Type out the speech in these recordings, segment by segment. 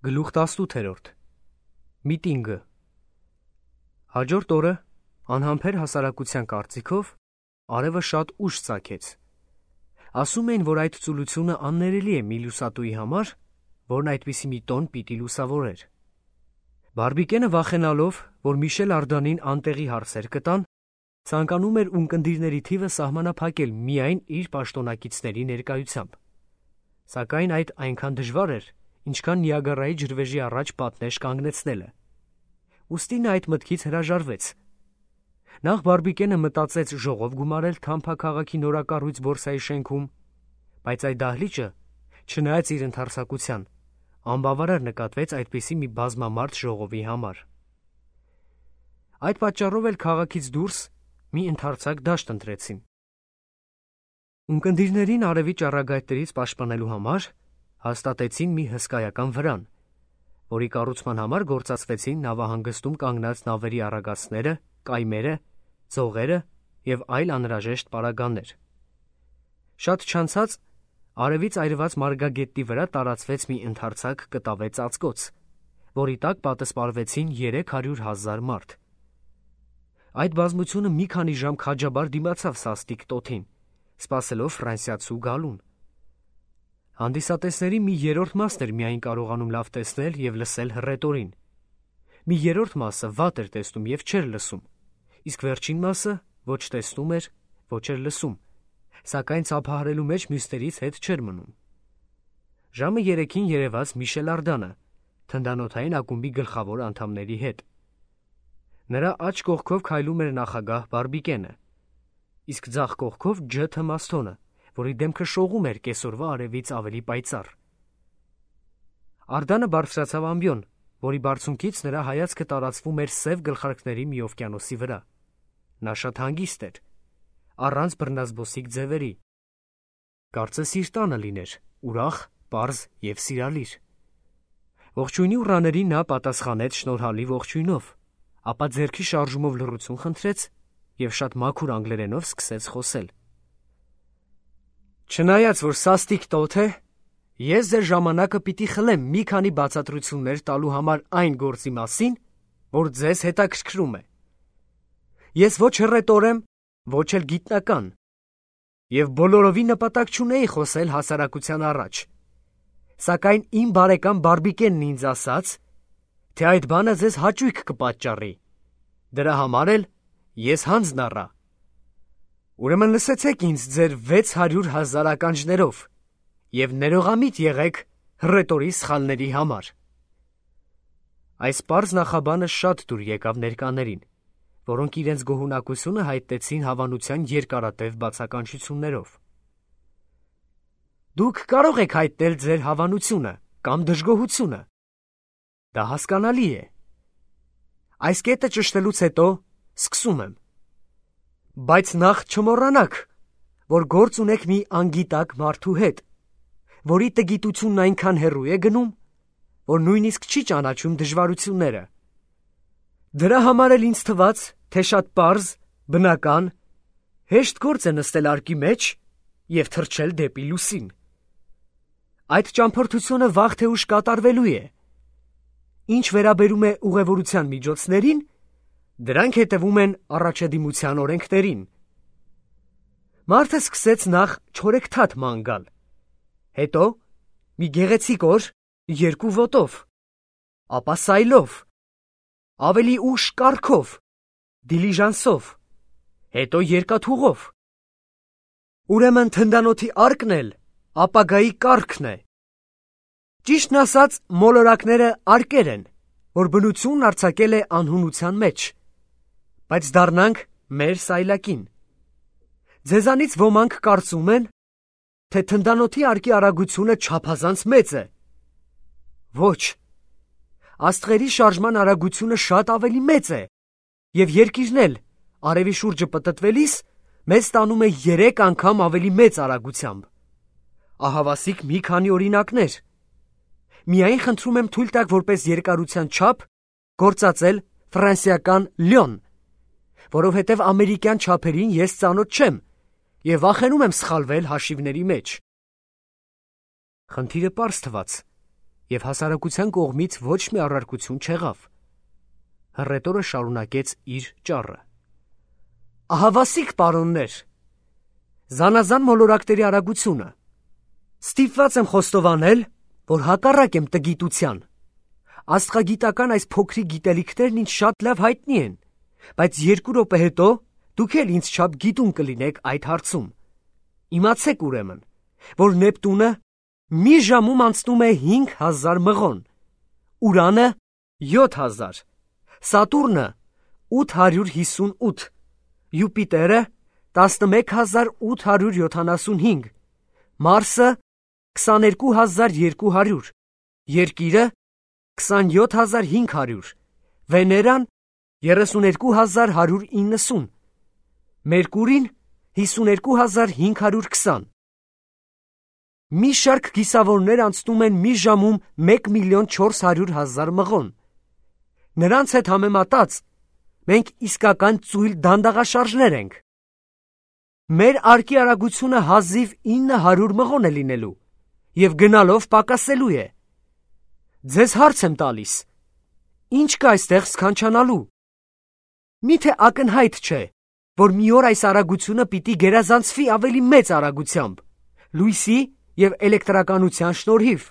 Գլուխ 18 Միտինգը Հաջորդ օրը անհամբեր հասարակության կարծիքով արևը շատ ուշ ծագեց։ Ասում էին, որ այդ ծուլությունը աններելի է մի լուսատուի համար, որն այդպիսի մի տոն պիտի լուսավորեր։ Բարբիկենը վախենալով, որ Միշել Արդանին անտեղի հարցեր կտան, ցանկանում էր ունկնդիրների թիվը սահմանափակել միայն իր պաշտոնակիցների ներկայությամբ։ Սակայն այդ այնքան դժվար էր, ինչքան Նիագարայի ջրվեժի առաջ պատնեշ կանգնեցնելը։ Ուստի նա այդ մտքից հրաժարվեց։ Նախ Բարբիկենը մտածեց ժողով գումարել Թամփա քաղաքի նորակառույց բորսայի շենքում, բայց այդ դահլիճը, չնայած իր ընդարձակության, անբավարար նկատվեց այդպիսի մի բազմամարդ ժողովի համար։ Այդ պատճառով էլ քաղաքից դուրս մի ընդարձակ դաշտ ընտրեցին։ Ունկնդիրներին արևի ճառագայթներից պաշտպանելու համար հաստատեցին մի հսկայական վրան, որի կառուցման համար գործածվեցին նավահանգստում կանգնած նավերի առագաստները, կայմերը, ձողերը և այլ անհրաժեշտ պարագաներ։ Շատ չանցած արևից այրված մարգագետի վրա տարածվեց մի ընդարձակ կտավե ծածկոց, որի տակ պատսպարվեցին 300,000 մարդ։ Այդ բազմությունը մի քանի ժամ քաջաբար դիմացավ սաստիկ տոթին, սպասելով ֆրանսիացու գալուն։ Հանդիսատեսների մի երրորդ մասն էր միայն կարողանում լավ տեսնել և լսել հռետորին։ Մի երրորդ մասը վատ էր տեսնում և չէր լսում, իսկ վերջին մասը ոչ տեսնում էր, ոչ էր լսում, սակայն ծափահարելու մեջ մյուսներից հետ չէր մնում։ Ժամը 3-ին երևաց Միշել Արդանը, թնդանոթային ակումբի գլխավոր անդամների հետ։ Նրա աջ կողքով քայլում էր նախագահ Բարբիկենը, իսկ ձախ կողքով Ջ. Թմասթոնը, որի դեմքը շողում էր կեսօրվա արևից ավելի պայծառ։ Արդանը բարձրացավ ամբիոն, որի բարձունքից նրա հայացքը տարածվում էր սև գլխարկների մի օվկիանոսի վրա։ Նա շատ հանգիստ էր, առանց բռնազբոսիկ ձևերի։ Կարծես իր տանը լիներ, ուրախ, պարզ և սիրալիր։ Ողջույնի ուռաներին նա պատասխանեց շնորհալի ողջույնով, ապա ձեռքի շարժումով լռություն խնդրեց և շատ մաքուր անգլերենով սկսեց խոսել։ Չնայած, որ սաստիկ տոթ է, ես ձեր ժամանակը պիտի խլեմ մի քանի բացատրություններ տալու համար այն գործի մասին, որ ձեզ հետաքրքրում է։ Ես ոչ հռետոր եմ, ոչ էլ գիտնական, և բոլորովին նպատակ չունեի խոսել հասարակության առաջ, սակայն իմ բարեկամ Բարբիկենն ինձ ասաց, թե այդ բանը ձեզ հաճույք կպատճառի, դրա համար էլ ես հանձն առա։ Ուրեմն լսեցեք ինձ ձեր 600,000 ականջներով և ներողամիտ եղեք հռետորի սխալների համար։ Այս պարզ նախաբանը շատ դուր եկավ ներկաներին, որոնք իրենց գոհունակությունը հայտնեցին հավանության երկարատև բացականչություններով։ Դուք կարող եք հայտնել ձեր հավանությունը կամ դժգոհությունը։ Դա հասկանալի է։ Այս կետը ճշտելուց հետո սկսում եմ։ Բայց նախ չմոռանաք, որ գործ ունեք մի անգիտակ մարդու հետ, որի տգիտությունն այնքան հեռու է գնում, որ նույնիսկ չի ճանաչում դժվարությունները։ Դրա համար էլ ինձ թվաց, թե շատ պարզ, բնական, հեշտ գործ է նստել արկի մեջ և թռչել դեպի լուսին։ Այդ ճամփորդությունը վաղ թե ուշ կատարվելու է։ Ինչ վերաբերում է ուղևորության միջոցներին, դրանք հետևում են առաջադիմության օրենքներին։ Մարդը սկսեց նախ չորեքթաթ ման գալ, հետո մի գեղեցիկ օր 2 ոտով, ապա սայլով, ավելի ուշ կառքով, դիլիժանսով, հետո երկաթուղով։ Ուրեմն թնդանոթի արկն էլ ապագայի կառքն է։ Ճիշտն ասած, մոլորակները արկեր են, որ բնությունն արձակել է անհունության մեջ, բայց դառնանք մեր սայլակին։ Ձեզանից ոմանք կարծում են, թե թնդանոթի արկի արագությունը չափազանց մեծ է։ Ոչ, աստղերի շարժման արագությունը շատ ավելի մեծ է, և երկիրն էլ արևի շուրջը պտտվելիս մեզ տանում է 3 անգամ ավելի մեծ արագությամբ։ Ահավասիկ մի քանի օրինակներ։ Միայն խնդրում եմ թույլ տաք որպես երկարության չափ գործածել ֆրանսիական լյոն, որովհետև ամերիկյան չափերին ես ծանոթ չեմ և վախենում եմ սխալվել հաշիվների մեջ։ Խնդիրը պարզ թվաց, և հասարակության կողմից ոչ մի առարկություն չեղավ։ Հռետորը շարունակեց իր ճառը. «Ահավասիկ պարոններ, զանազան մոլորակների արագությունը։ Ստիպված եմ խոստովանել, որ հակառակ եմ տգիտության։ Աստղագիտական այս փոքրիկ գիտելիքներն ինձ շատ լավ հայտնի են, բայց 2 րոպե հետո դուք էլ ինձ չափ գիտուն կլինեք այդ հարցում։ Իմացեք ուրեմն, որ Նեպտունը մի ժամում անցնում է 5000 մղոն, Ուրանը 7000, Սատուրնը 858, Յուպիտերը 11875, Մարսը 22200, Երկիրը 27500, Վեներան 32190, Մերկուրին 52520։ Մի շարք գիսավորներ անցնում են մի ժամում 1,400,000 մղոն։ Նրանց հետ համեմատած մենք իսկական ծույլ դանդաղաշարժներ ենք։ Մեր արկի արագությունը հազիվ 900 մղոն է լինելու և գնալով պակասելու է։ Ձեզ հարց եմ տալիս. ինչ կա այստեղ սքանչանալու։ Միթե ակնհայտ չէ, որ մի օր այս արագությունը պիտի գերազանցվի ավելի մեծ արագությամբ, լույսի և էլեկտրականության շնորհիվ։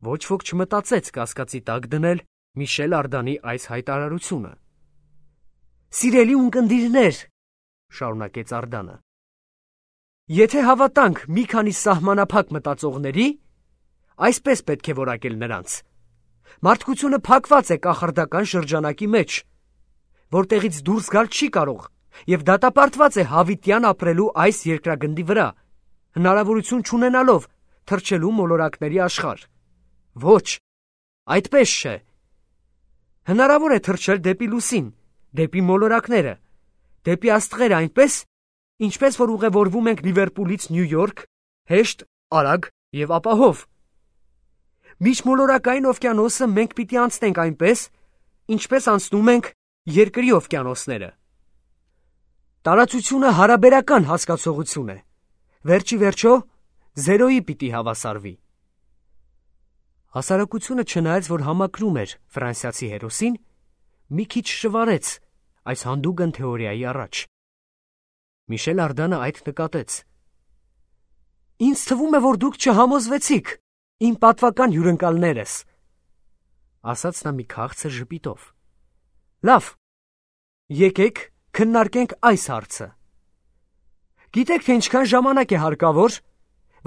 Ոչ ոք չմտածեց կասկածի տակ դնել Միշել Արդանի այս հայտարարությունը։ «Սիրելի ունկնդիրներ», շարունակեց Արդանը, եթե հավատանք մի քանի սահմանափակ մտածողների, այսպես պետք է որակել նրանց, մարդկությունը փակված է կախարդական շրջանակի մեջ, որտեղից դուրս գալ չի կարող և դատապարտված է հավիտյան ապրելու այս երկրագնդի վրա, հնարավորություն չունենալով թռչելու մոլորակների աշխարհ։ Ոչ, այդպես չէ։ Հնարավոր է թռչել դեպի լուսին, դեպի մոլորակները, դեպի աստղերը այնպես, ինչպես որ ուղևորվում ենք Լիվերպուլից Նյու Յորք, հեշտ, արագ և ապահով։ Միջմոլորակային օվկիանոսը մենք պիտի անցնենք այնպես, ինչպես անցնում ենք երկրի օվկիանոսները։ Տարածությունը հարաբերական հասկացողություն է, վերջի վերջո զերոյի պիտի հավասարվի։ Հասարակությունը չնայած, որ համակրում էր ֆրանսիացի հերոսին, մի քիչ շվարեց այս հանդուգն թեորիայի առաջ։ Միշել Արդանը այդ նկատեց։ «Ինձ թվում է, որ դուք չհամոզվեցիք, իմ պատվական հյուրընկալներս», ասաց նա մի քաղցր ժպիտով։ «Լավ, եկեք քննարկենք այս հարցը։ Գիտեք, թե ինչքան ժամանակ է հարկավոր,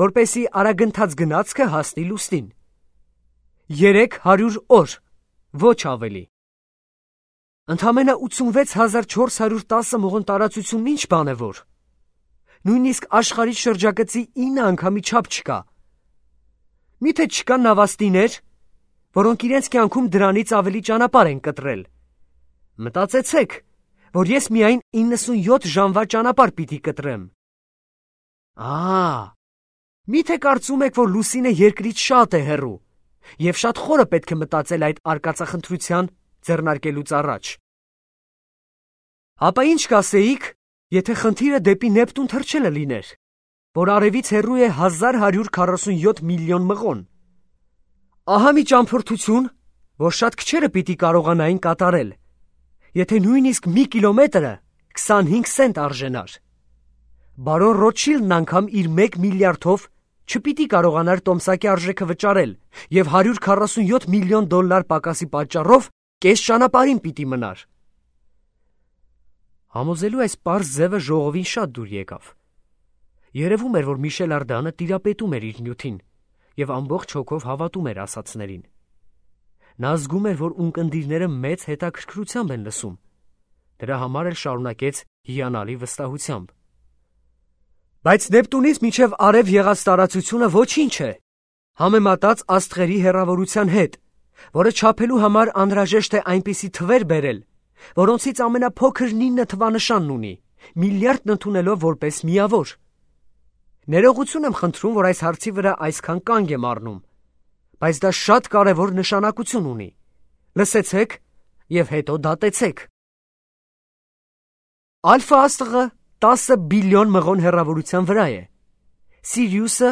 որպեսզի արագընթաց գնացքը հասնի լուսնին։ 300 օր, ոչ ավելի։ Ընդամենը 86410 մղոն տարածությունն ինչ բան է որ։ Նույնիսկ աշխարհի շրջագծի 9 անգամի չափ չկա։ Միթե չկան նավաստիներ, որոնք իրենց կյանքում դրանից ավելի ճանապարհ են կտրել։ Մտածեցեք, որ ես միայն 97 ժամվա ճանապարհ պիտի կտրեմ։ Միթե կարծում եք, որ լուսինը երկրից շատ է հեռու, և շատ խորը պետք է մտածել այդ արկածախնդրության ձեռնարկելուց առաջ։ Ապա ինչ կասեիք, եթե խնդիրը դեպի Նեպտուն թռչելը լիներ, որ արևից հեռու է 1147 միլիոն մղոն։ Ահա մի ճամփորդություն, որ շատ քչերը պիտի կարողանային կատարել, եթե նույնիսկ մի կիլոմետրը 25 սենտ արժենար։ Բարոն Ռոթշիլդն անգամ իր 1 միլիարդով չպիտի կարողանար տոմսակի արժեքը վճարել և 147 միլիոն դոլար պակասի պատճառով կես ճանապարհին պիտի մնար։ Համոզելու այս պարզ ձևը ժողովին շատ դուր եկավ։ Երևում էր, որ Միշել Արդանը տիրապետում էր իր նյութին և ամբողջ հոգով հավատում էր ասածներին։ Նա զգում էր, որ ունկնդիրները մեծ հետաքրքրությամբ են լսում։ Դրա համար էլ շարունակեց հիանալի վստահությամբ. Բայց Նեպտունից մինչև արև եղած տարածությունը ոչինչ է, համեմատած աստղերի հեռավորության հետ, որը չափելու համար անհրաժեշտ է այնպիսի թվեր բերել, որոնցից ամենափոքրն 9 թվանշանն ունի, միլիարդն ընդունելով որպես միավոր։ Ներողություն եմ խնդրում, որ այս հարցի վրա այսքան կանգ եմ առնում, բայց դա շատ կարևոր նշանակություն ունի։ Լսեցեք և հետո դատեցեք։ Ալֆա աստղը 10 բիլիոն մղոն հեռավորության վրա է, Սիրիուսը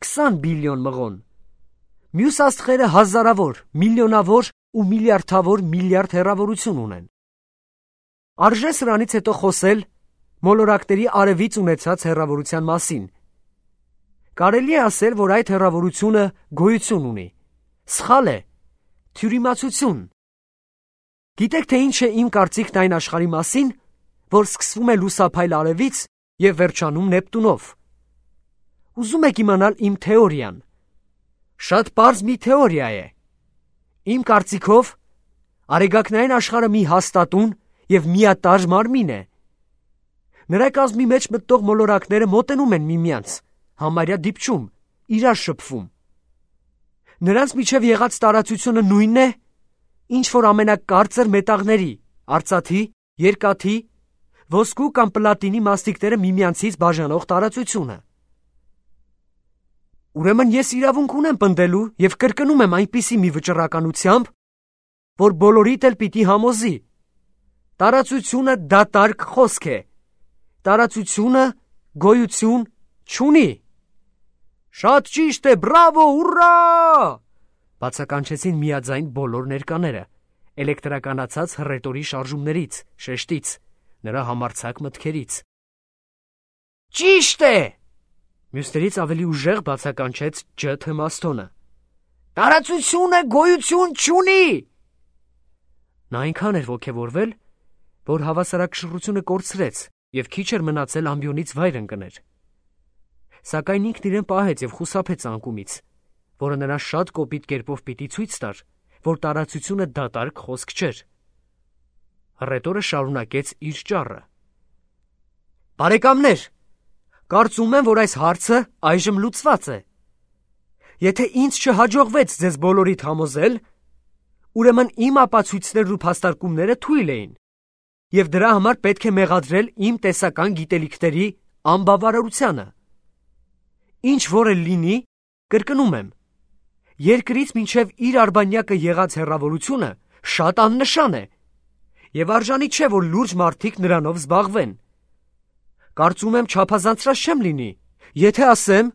20 բիլիոն մղոն, Մյուս աստղերը հազարավոր, միլիոնավոր ու միլիարդ հեռավորություն ունեն։ Արժե սրանից հետո խոսել մոլորակների արևից ունեցած հեռավորության մասին։ Կարելի է ասել, որ այդ հեռավորությունը գոյություն ունի։ Սխալ է, թյուրիմացություն։ Գիտեք, թե ինչ է իմ կարծիքն այն աշխարհի մասին, որ սկսվում է լուսափայլ արևից և վերջանում Նեպտունով։ Ուզում եք իմանալ իմ թեորիան։ Շատ պարզ մի թեորիա է։ Իմ կարծիքով, արեգակնային աշխարհը մի հաստատուն և միատարր մարմին է։ Նրա կազմի մեջ մտող մոլորակները մոտենում են միմյանց, համարյա դիպչում, իրար շփվում։ Նրանց միջև եղած տարածությունը նույնն է, ինչ որ ամենակարծր մետաղների, արծաթի, երկաթի, ոսկու կամ պլատինի մասնիկները միմյանցից բաժանող տարածությունը։ Ուրեմն ես իրավունք ունեմ պնդելու և կրկնում եմ այնպիսի մի վճռականությամբ, որ բոլորիդ էլ պիտի համոզի։ Տարածությունը դատարկ խոսք է։ Տարածությունը գոյություն չունի։ Շատ ճիշտ է, բրավո, ուռա! Բացականչեցին միաձայն բոլոր ներկաները, էլեկտրականացած հռետորի շարժումներից, շեշտից, նրա համարձակ մտքերից։ Ճիշտ է! Մյուսներից ավելի ուժեղ բացականչեց Ջ. Թմաստոնը։ Տարածությունը գոյություն չունի։ Նա այնքան էր ոգևորվել, որ հավասարակշռությունը կորցրեց և քիչ էր մնացել ամբիոնից վայր ընկներ։ Սակայն ինքն իրեն պահեց և խուսափեց անկումից, որը նրան շատ կոպիտ կերպով պիտի ցույց տար, որ տարածությունը դատարկ խոսք չէր։ Հռետորը շարունակեց իր ճառը։ Բարեկամներ, կարծում եմ, որ այս հարցը այժմ լուծված է։ Եթե ինձ չհաջողվեց ձեզ բոլորիդ համոզել, ուրեմն իմ ապացույցներն ու փաստարկումները թույլ էին, և դրա համար պետք է մեղադրել իմ տեսական գիտելիքների անբավարարությանը։ Ինչ որ էլ լինի, կրկնում եմ, երկրից մինչև իր արբանյակը եղած հեռավորությունը շատ աննշան է, և արժանի չէ, որ լուրջ մարդիկ նրանով զբաղվեն։ Կարծում եմ չափազանցրած չեմ լինի, եթե ասեմ,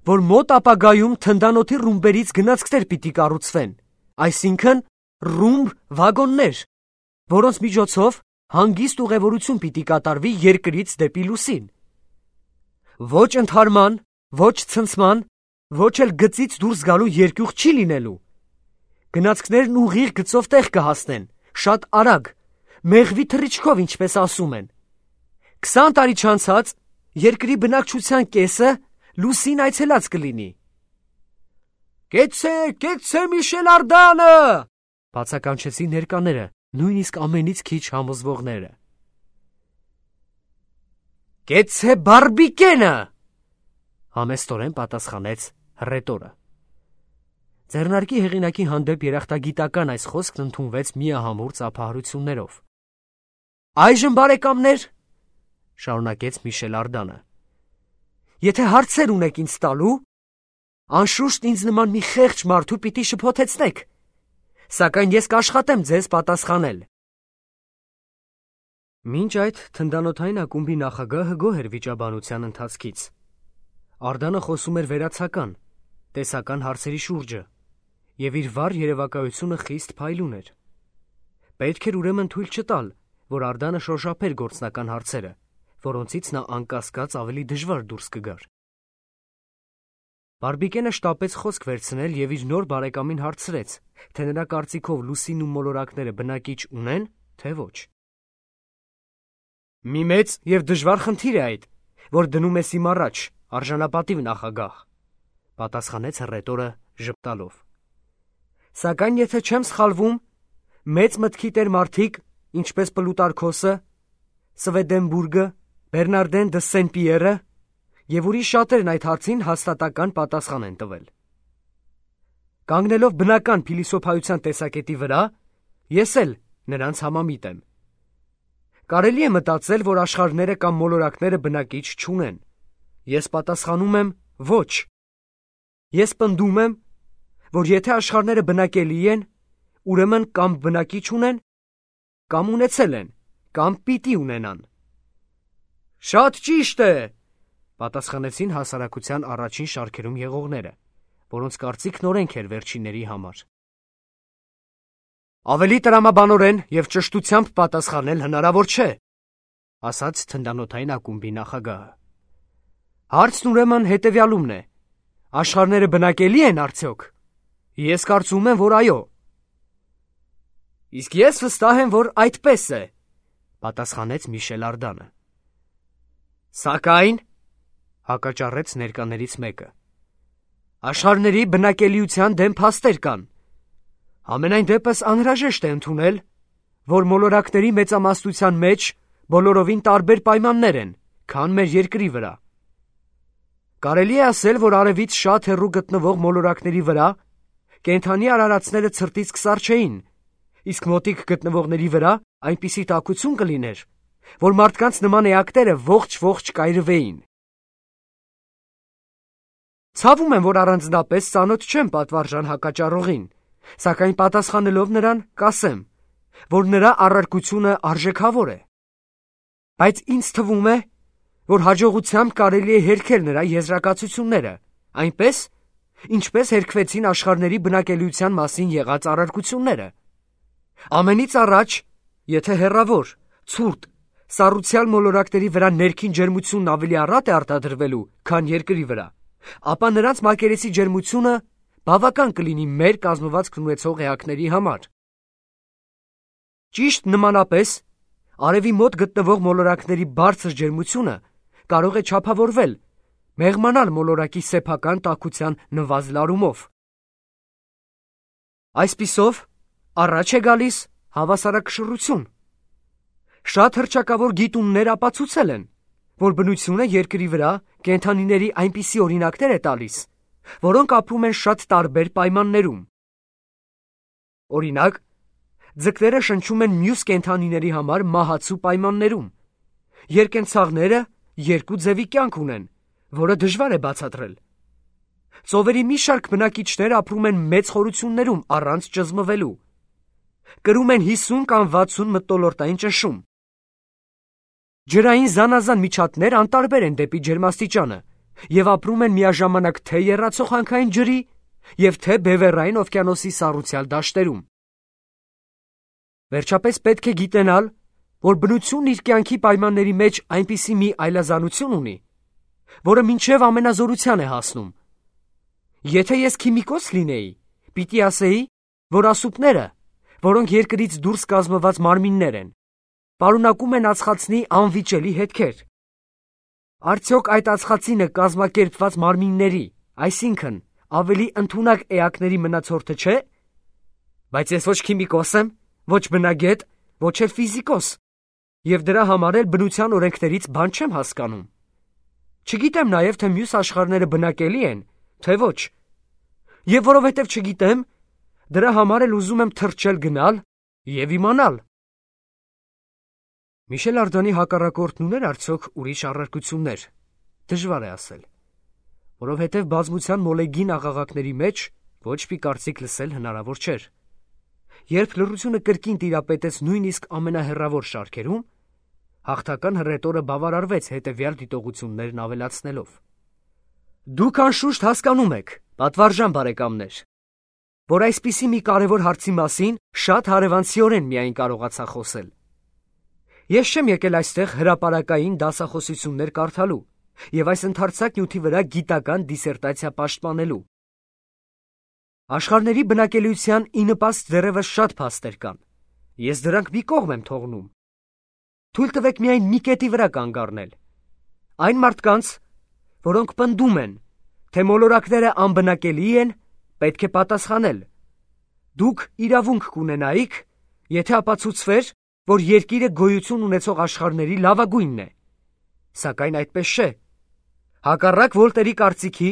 որ մոտ ապագայում թնդանոթի ռումբերից գնացքներ պիտի կառուցվեն, այսինքն ռումբ վագոններ, որոնց միջոցով հանգիստ ուղևորություն պիտի կատարվի երկրից դեպի լուսին։ Ոչ ընդհարման, ոչ ցնցման, ոչ էլ գծից դուրս գալու երկյուղ չի լինելու։ Գնացքներն ուղիղ գծով տեղ կհասնեն, շատ արագ, մեղվի թռիչքով, ինչպես ասում են։ 20 տարի չանցած երկրի բնակչության կեսը լուսին այցելած կլինի։ Կեցցե Միշել Արդանը, բացականչեցին ներկաները, նույնիսկ ամենից քիչ համոզվողները։ Կեցցե Բարբիկենը, համեստորեն պատասխանեց հռետորը։ Ձեռնարկի հեղինակի հանդեպ երախտագիտական այս խոսքն ընդունվեց միահամուռ ծափահարություններով։ Այժմ, բարեկամներ, շարունակեց Միշել Արդանը, եթե հարցեր ունեք ինձ տալու, անշուշտ ինձ նման մի խեղճ մարդու պիտի շփոթեցնեք, սակայն ես կաշխատեմ ձեզ պատասխանել։ Մինչ այդ թնդանոթային ակումբի նախագահը գոհ էր վիճաբանության ընթացքից։ Արդանը խոսում էր վերացական, տեսական հարցերի շուրջը, և իր վառ երևակայությունը խիստ փայլուն էր։ Պետք էր ուրեմն թույլ չտալ, որ Արդանը շոշափեր գործնական հարցերը, որոնցից նա անկասկած ավելի դժվար դուրս կգար։ Բարբիկենը շտապեց խոսք վերցնել և իր նոր բարեկամին հարցրեց, թե նրա կարծիքով լուսինն ու մոլորակները բնակիչ ունեն, թե ոչ։ Մի մեծ և դժվար խնդիր է այդ, որ դնում ես իմ առաջ, արժանապատիվ նախագահ, պատասխանեց հռետորը ժպտալով։ Սակայն եթե չեմ սխալվում, մեծ մտքի տեր մարդիկ, ինչպես Պլուտարքոսը, Սվեդենբուրգը, Բերնարդեն դը Սեն-Պիերը և ուրիշ շատերն այդ հարցին հաստատական պատասխան են տվել։ Կանգնելով բնական փիլիսոփայության տեսակետի վրա, ես էլ նրանց համամիտ եմ։ Կարելի է մտածել, որ աշխարհները կամ մոլորակները բնակիչ չունեն։ Ես պատասխանում եմ ոչ։ Ես պնդում եմ, որ եթե աշխարհները բնակելի են, ուրեմն կամ բնակիչ ունեն, կամ ունեցել են, կամ պիտի ունենան։ Շատ ճիշտ է, պատասխանեցին հասարակության առաջին շարքերում եղողները, որոնց կարծիքն օրենք էր վերջինների համար։ Ավելի տրամաբանորեն և ճշտությամբ պատասխանել հնարավոր չէ, ասաց թնդանոթային ակումբի նախագահը։ Հարցն ուրեմն հետևյալումն է. աշխարհները բնակելի են արդյոք։ Ես կարծում եմ, որ այո։ Իսկ ես վստահ եմ, որ այդպես է, պատասխանեց Միշել Արդանը։ Սակայն, հակաճառեց ներկաներից մեկը, աշխարհների բնակելիության դեմ փաստեր կան։ Համենայն դեպս անհրաժեշտ է ընդունել, որ մոլորակների մեծամասնության մեջ բոլորովին տարբեր պայմաններ են, քան մեր երկրի վրա։ Կարելի է ասել, որ արևից շատ հեռու գտնվող մոլորակների վրա կենդանի արարածները ցրտից կսար չէին, իսկ մոտիկ գտնվողների վրա այնպիսի տաքություն կլիներ, որ մարդկանց նման էակները ողջ կայրվեին։ Ցավում եմ, որ առանձնապես ծանոթ չեմ պատվարժան հակաճառողին, սակայն պատասխանելով նրան կասեմ, որ նրա առարկությունը արժեքավոր է։ Բայց ինձ թվում է, որ հաջողությամբ կարելի է հերքել նրա եզրակացությունները, այնպես, ինչպես հերքվեցին աշխարհների բնակելիության մասին եղած առարկությունները։ Ամենից առաջ, եթե հեռավոր, ցուրտ, սառուցյալ մոլորակների վրա ներքին ջերմությունն ավելի առատ է արտադրվելու, քան երկրի վրա, ապա նրանց մակերեսի ջերմությունը բավական կլինի մեր կազմվածքն ունեցող էակների համար։ Ճիշտ նմանապես, արևի մոտ գտնվող մոլորակների բարձր ջերմությունը կարող է չափավորվել, մեղմանալ մոլորակի սեփական տաքության նվազլարումով։ Այսպիսով, առաջ է գալիս հավասարակշռություն։ Շատ հռչակավոր գիտուններ ապացուցել են, որ բնությունը երկրի վրա կենդանիների այնպիսի օրինակներ է տալիս, որոնք ապրում են շատ տարբեր պայմաններում։ Օրինակ, ձկները շնչում են մյուս կենդանիների համար մահացու պայմաններում։ Երկենցաղները երկու ձևի կյանք ունեն, որը դժվար է բացատրել։ Ծովերի մի շարք բնակիչներ ապրում են մեծ խորություններում առանց ճզմվելու։ Կրում են 50 կամ 60 մթնոլորտային ճնշում։ Ջրային զանազան միջատներ անտարբեր են դեպի ջերմաստիճանը և ապրում են միաժամանակ թե եռացող հանքային ջրի և թե բևեռային օվկիանոսի սառուցյալ դաշտերում։ Վերջապես պետք է գիտենալ, որ բնությունն իր կյանքի պայմանների մեջ այնպիսի մի այլազանություն ունի, որը մինչև ամենազորության է հասնում։ Եթե ես քիմիկոս լինեի, պիտի ասեի, որ ասուպները, որոնք երկրից դուրս կազմված մարմիններ են, պարունակում են ածխածնի անվիճելի հետքեր։ Արդյոք այդ ածխածինը կազմակերպված մարմինների, այսինքն ավելի ընդունակ էակների մնացորդը չէ։ Բայց ես ոչ քիմիկոս եմ, ոչ բնագետ, ոչ էլ ֆիզիկոս, և դրա համար էլ բնության օրենքներից բան չեմ հասկանում։ Չգիտեմ նաև, թե մյուս աշխարհները բնակելի են, թե ոչ։ Եվ որովհետև չգիտեմ, դրա համար էլ ուզում եմ թռչել գնալ և իմանալ։ Միշել Արդանի հակառակորդն ուներ արդյոք ուրիշ առարկություններ, դժվար է ասել, որովհետև բազմության մոլեգին աղաղակների մեջ ոչ մի կարծիք լսել հնարավոր չէր։ Երբ լռությունը կրկին տիրապետեց նույնիսկ ամենահեռավոր շարքերում, հաղթական հռետորը բավարարվեց հետևյալ դիտողություններն ավելացնելով. Դուք անշուշտ հասկանում եք, պատվարժան բարեկամներ, որ այսպիսի մի կարևոր հարցի մասին շատ հարևանցիորեն միայն կարողացա խոսել։ Ես չեմ եկել այստեղ հրապարակային դասախոսություններ կարդալու և այս ընդարձակ նյութի վրա գիտական դիսերտացիա պաշտպանելու։ Աշխարհների բնակելիության ի նպաստ դեռևս շատ փաստեր կան։ Ես դրանք մի կողմ եմ թողնում։ Թույլ տվեք միայն մի կետի վրա կանգ առնել։ Այն մարդկանց, որոնք պնդում են, թե մոլորակները անբնակելի են, պետք է պատասխանել. դուք իրավունք կունենայիք, եթե ապացուցվեր, որ երկիրը գոյություն ունեցող աշխարհների լավագույնն է։ Սակայն այդպես չէ։ Հակառակ Վոլտերի կարծիքի,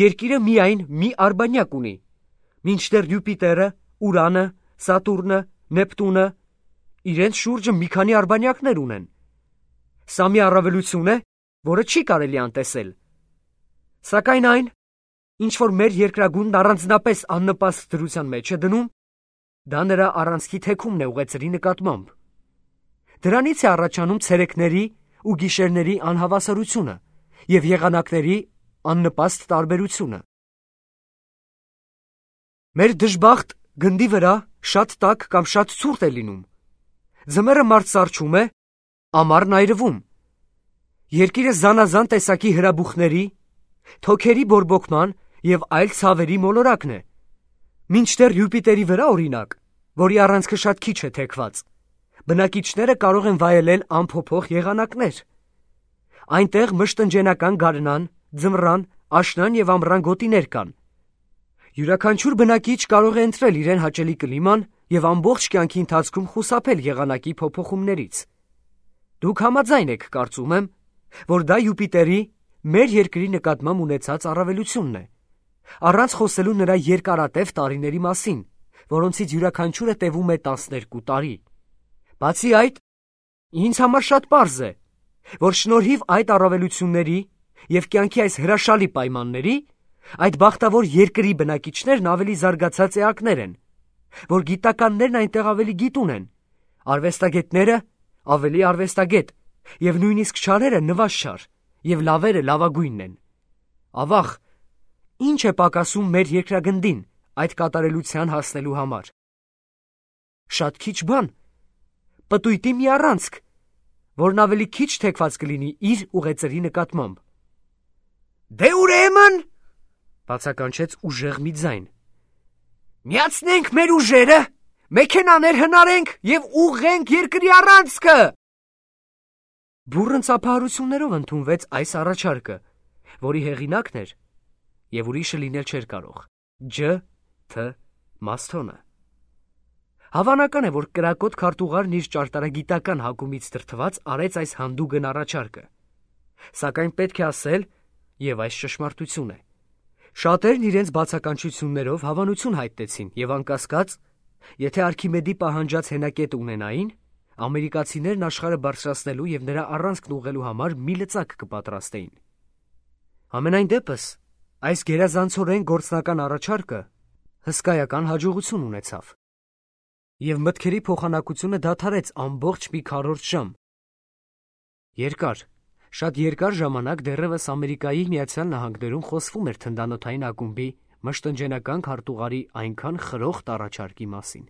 երկիրը միայն մի արբանյակ ունի, մինչդեռ Յուպիտերը, Ուրանը, Սատուրնը, Նեպտունը իրենց շուրջը մի քանի արբանյակներ ունեն։ Սա մի առավելություն է, որը չի կարելի անտեսել։ Սակայն այն, ինչ որ մեր երկրագունդն առանձնապես աննպաստ դրության մեջ է դնում, դա նրա առանցքի թեքումն է ուղեծրի նկատմամբ։ Դրանից է առաջանում ցերեկների ու գիշերների անհավասարությունը և եղանակների աննպաստ տարբերությունը։ Մեր դժբախտ գնդի վրա շատ տաք կամ շատ ցուրտ է լինում։ Ձմեռը մարդ սառչում է, ամառն այրվում։ Երկիրը զանազան տեսակի հրաբուխների, թոքերի բորբոքման և այլ ցավերի մոլորակն է։ Մինչդեռ Յուպիտերի վրա, օրինակ, որի առանցքը շատ քիչ է թեքված, բնակիչները կարող են վայելել անփոփոխ եղանակներ։ Այնտեղ մշտնջենական գարնան, ձմռան, աշնան և ամռան գոտիներ կան։ Յուրաքանչյուր բնակիչ կարող է ընտրել իրեն հաճելի կլիման և ամբողջ կյանքի ընթացքում խուսափել եղանակի փոփոխումներից։ Դուք համաձայն եք, կարծում եմ, որ դա Յուպիտերի մեր երկրի նկատմամբ ունեցած առավելությունն է, առանց խոսելու նրա երկարատև տարիների մասին, որոնցից յուրաքանչյուրը տևում է 12 տարի։ Բացի այդ, ինձ համար շատ պարզ է, որ շնորհիվ այդ առավելությունների և կյանքի այս հրաշալի պայմանների, այդ բախտավոր երկրի բնակիչներն ավելի զարգացած էակներ են, որ գիտականներն այնտեղ ավելի գիտուն են, արվեստագետները ավելի արվեստագետ, և նույնիսկ չարերը նվազչար, և լավերը լավագույնն են։ Ավաղ, ինչ է պակասում մեր երկրագնդին այդ կատարելության հասնելու համար։ Շատ քիչ բան, պտույտի մի առանցք, որն ավելի քիչ թեքված կլինի իր ուղեծրի նկատմամբ։ Դե ուրեմն, բացականչեց ուժեղ մի ձայն, միացնենք մեր ուժերը, մեքենաներ հնարենք և ուղղենք երկրի առանցքը։ Բուռն ծափահարություններով ընդունվեց այս առաջարկը, որի հեղինակն էր և ուրիշը լինել չէր կարող Ջ. Թ. Մասթոնը։ Հավանական է, որ կրակոտ քարտուղարն իր ճարտարագիտական հակումից դրդված արեց այս հանդուգն առաջարկը։ Սակայն պետք է ասել, և այս ճշմարտություն է, շատերն իրենց բացականչություններով հավանություն հայտնեցին և անկասկած, եթե Արքիմեդի պահանջած հենակետը ունենային, ամերիկացիներն աշխարհը բարձրացնելու և նրա առանցքն ուղղելու համար մի լծակ կպատրաստեին։ Համենայն դեպս, այս գերազանցորեն գործնական առաջարկը հսկայական հաջողություն ունեցավ, և մտքերի փոխանակությունը դադարեց ամբողջ մի քառորդ ժամ։ Երկար, շատ երկար ժամանակ դեռևս Ամերիկայի Միացյալ Նահանգներում խոսվում էր թնդանոթային ակումբի մշտնջենական քարտուղարի այնքան խրոխտ առաջարկի մասին։